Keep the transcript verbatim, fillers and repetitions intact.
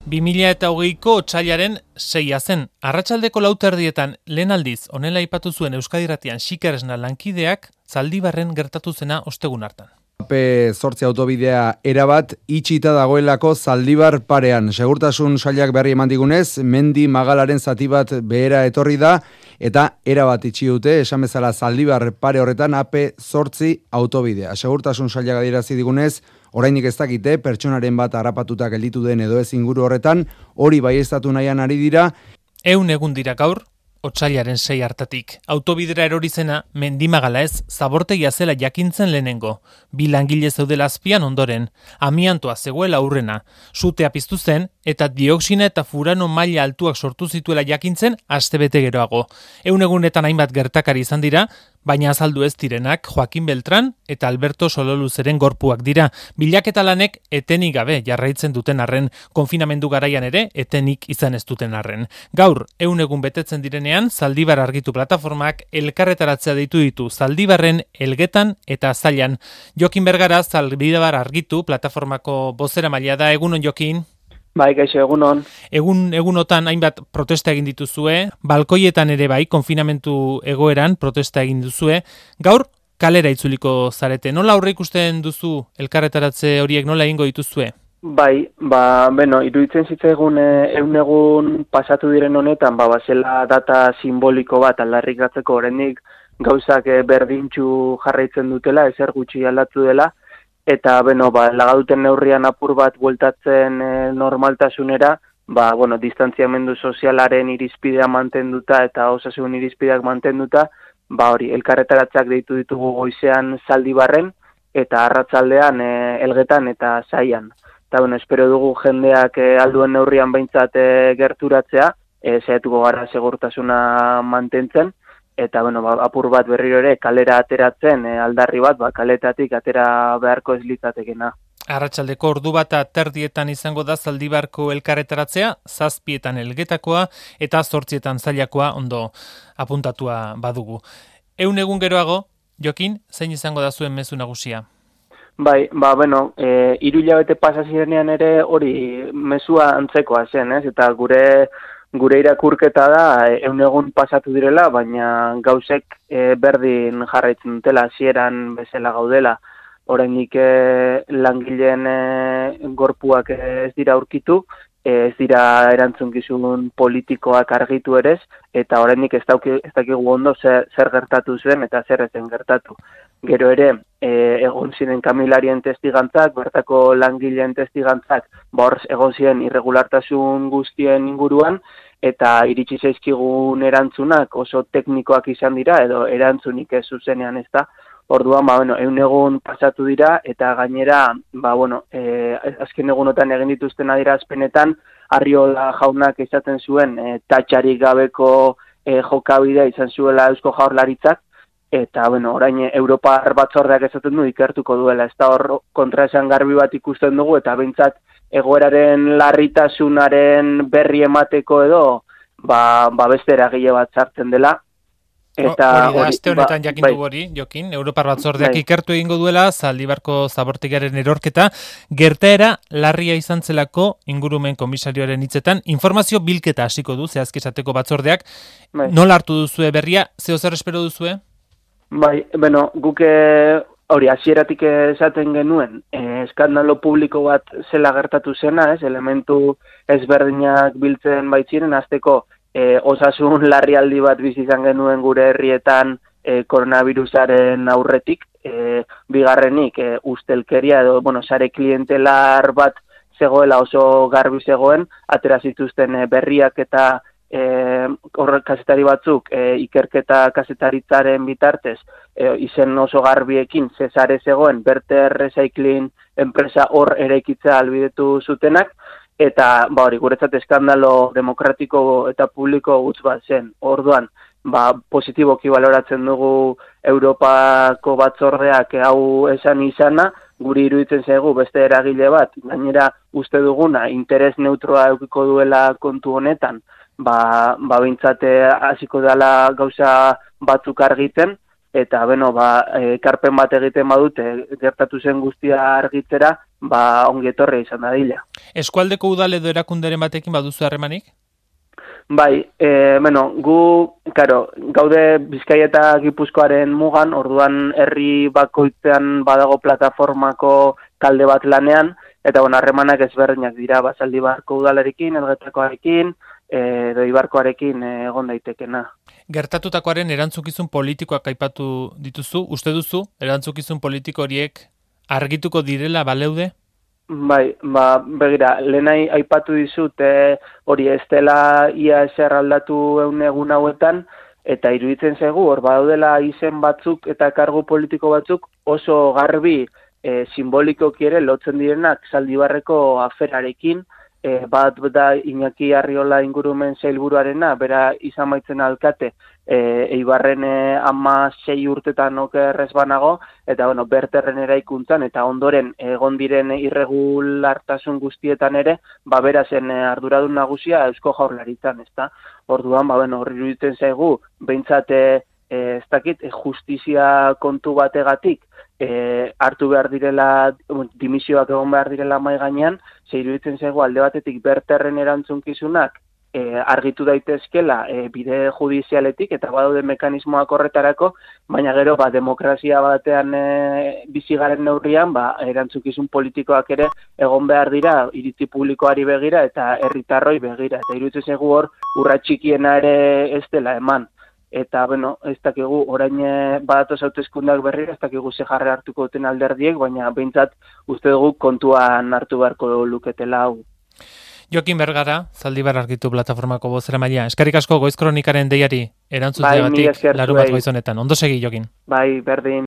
bi mila hogeiko otsailaren seia zen. Arratsaldeko lau terdietan lehen aldiz honela aipatu zuen Euskadi Irratian Xiker Esna lankideak Zaldibarren gertatu zena ostegun hartan. A P zortzi autobidea erabat itxita dagoelako Zaldibar parean. Segurtasun sailak berri eman digunez, mendi magalaren zati bat behera etorri da eta erabat itxi dute, esan bezala Zaldibar pare horretan A P zortzi autobidea. Segurtasun sailak adierazi digunez, oraindik ez dakite pertsonaren bat harrapatuta gelditu den edo ez inguru horretan, hori baieztatu nahian ari dira. Ehun egun dira gaur, otsailaren sei hartatik. Autobidera erori zena mendimagala ez, zabortegia zela jakintzen lehenengo. Bi langile zeudela azpian ondoren, amiantoa zegoela aurrena. Sutea piztu zen eta dioxina eta furano maila altuak sortu zituela jakintzen astebete geroago. Ehun egunetan hainbat gertakari izan dira, baina azaldu ez direnak Joaquin Beltran eta Alberto Sololuzeren gorpuak dira. Bilaketa lanek etenik gabe jarraitzen duten arren, konfinamendu garaian ere etenik izan ez duten arren. Gaur, ehun egun betetzen direnean, Zaldibar argitu plataformak elkarretaratzea deitu ditu Zaldibarren, Elgetan eta Zailan. Jokin Bergara, Zaldibar argitu plataformako bozera maila da. Egunon, Jokin? Bai, gaixo, egunon. Egun, egunotan hainbat protesta egin dituzue, balkoietan ere bai, konfinamentu egoeran protesta egin duzue. Gaur, kalera itzuliko zarete. Nola aurre ikusten duzu elkarretaratze horiek, nola egingo dituzue? Bai, ba, bueno, iruditzen zitzaigun ehun egun pasatu diren honetan, ba, bazela data simboliko bat aldarrikatzeko oraindik gauzak berdintxu jarraitzen dutela, ezer gutxi aldatu dela, eta, bueno, ba, lagaduten neurrian apur bat bueltatzen e, normaltasunera, ba, bueno, distantziamendu sozialaren irizpidea mantenduta eta osasun irizpideak mantenduta, ba, hori, elkarretaratzeak deitu ditugu goizean Zaldibarren, eta arratsaldean e, Elgetan eta Zaian. Eta, bueno, espero dugu jendeak e, alduen neurrian behintzat e, gerturatzea, e, saiatuko gara segurtasuna mantentzen, eta, bueno, ba, apur bat berriro ere kalera ateratzen, e, aldarri bat, ba, kaletatik atera beharko ez litzatekena. Arratsaldeko ordu bat terdietan izango da Zaldibarko elkarretaratzea, zazpietan Elgetakoa eta zortzietan Zailakoa ondo apuntatua badugu. Ehun egun geroago, Jokin, zein izango da zuen mezu nagusia? Bai, ba, bueno, e, hiru hilabete pasa zirenean ere hori mezua antzekoa zen, ez? Eta gure gure irakurketa da ehun egun pasatu direla, baina gauzek e, berdin jarraitzen dutela, hasieran bezala gaudela. Oraindik e, langileen e, gorpuak ez dira aurkitu, ez dira erantzunkizun politikoak argitu ere, eta oraindik ez dauki, ez dakigu ondo zer, zer gertatu zen eta zer ezen gertatu. Gero ere, e, egon ziren kamilarien testigantzak, bertako langileen testigantzak, ba hor egon ziren irregulartasun guztien inguruan, eta iritsi zaizkigun erantzunak oso teknikoak izan dira, edo erantzunik ez zuzenean ez da. Orduan, ba, bueno, ehun egun pasatu dira, eta gainera, ba, bueno, e, azken egunotan egin dituzten adierazpenetan, Arriola jaunak esaten zuen, e, tatxarik gabeko e, jokabidea izan zuela Eusko Jaurlaritzak, eta, bueno, orain Europar batzordeak esaten du ikertuko duela, ez da hor kontraesan garbi bat ikusten dugu, eta behintzat egoeraren larritasunaren berri emateko edo, ba, ba beste eragile bat sartzen dela. Eta hori da, aste honetan jakin dugu hori, Jokin, Europar batzordeak bai. Ikertu egingo duela, Zaldibarko zabortegiaren erorketa, gertaera larria izan zelako ingurumen komisarioaren hitzetan, informazio bilketa hasiko du, zehazki esateko batzordeak, bai. Nola hartu duzue berria, zeo zer espero duzue? Bai, bueno, guke hori hasieratik esaten genuen, eh, eskandalo publiko bat zela gertatu zena, ez, elementu ezberdinak biltzen baitziren, hasteko E, osasun larrialdi bat bizi izan genuen gure herrietan e, koronavirusaren aurretik, e, bigarrenik e, ustelkeria edo, bueno, sare klientelar bat zegoela oso garbi zegoen, atera zituzten e, berriak eta e, horrek kazetari batzuk e, ikerketa kazetaritzaren bitartez e, izen oso garbiekin zesare zegoen, Berter Recycling enpresa hor eraikitza albidetu zutenak, eta, ba hori, guretzat eskandalo demokratiko eta publiko gutz bat zen. Orduan, ba, positiboki baloratzen dugu Europako batzordeak hau esan izana, guri iruditzen zaigu beste eragile bat, gainera uste duguna, interes neutroa eukiko duela kontu honetan, ba, ba bintzate hasiko dela gauza batzuk argitzen, eta, bueno, ba, ekarpen bat egiten badute, gertatu zen guztia argitzera, ba ongi etorri izan dadila. Eskualdeko udal edo erakunderen batekin baduzu harremanik? Bai, e, bueno, gu, karo, gaude Bizkaia eta Gipuzkoaren mugan, orduan herri bakoitzean badago plataformako talde bat lanean, eta bueno, harremanak ezberdinak dira, Zaldibarko udalarekin, Elgetakoarekin, edo Ibarkoarekin egon daitekena. Gertatutakoaren erantzukizun politikoak aipatu dituzu, uste duzu, erantzukizun politiko horiek argituko direla baleude? Bai, ba, begira, lehenai aipatu dizut e, hori ez dela ia eser aldatu egun egun hauetan, eta iruditzen zaigu, hor badaudela izen batzuk eta kargu politiko batzuk oso garbi e, simbolikoki ere lotzen direnak Zaldibarreko aferarekin, e, bat da Iñaki Arriola ingurumen sailburuarena, bera izan baitzen alkate, e, Eibarren e, ama sei urtetan okerrez banago, eta bueno, berterren eraikuntzan, eta ondoren egon diren irregulartasun guztietan ere, ba bera zen arduradun nagusia Eusko Jaurlaritzan, ezta? Orduan, ba bueno, horri iruditzen zaigu, behintzat e, ez dakit, justizia kontu bategatik, E, hartu behar direla, dimisioak egon behar direla mai gainean, ze iruditzen zaigu alde batetik berterren erantzunkizunak e, argitu daitezkela e, bide judizialetik eta badaude mekanismoak horretarako, baina gero ba, demokrazia batean e, bizigaren neurrian ba, erantzukizun politikoak ere egon behar dira iritzi publikoari begira eta herritarroi begira. Eta iruditzen zaigu hor urrats txikiena ere ez dela eman. Eta, bueno, ez dakigu, orain badatoz hauteskundak berriro, ez dakigu ze jarre hartuko duten alderdiek, baina behintzat uste dugu kontuan hartu beharko luketela hau. Jokin Bergara, Zaldibar Argitu plataformako bozeramailea. Eskerrik asko Goiz Kronikaren deiari erantzuteagatik bai, larunbat goizonetan. Ondo segi, Jokin. Bai, berdin.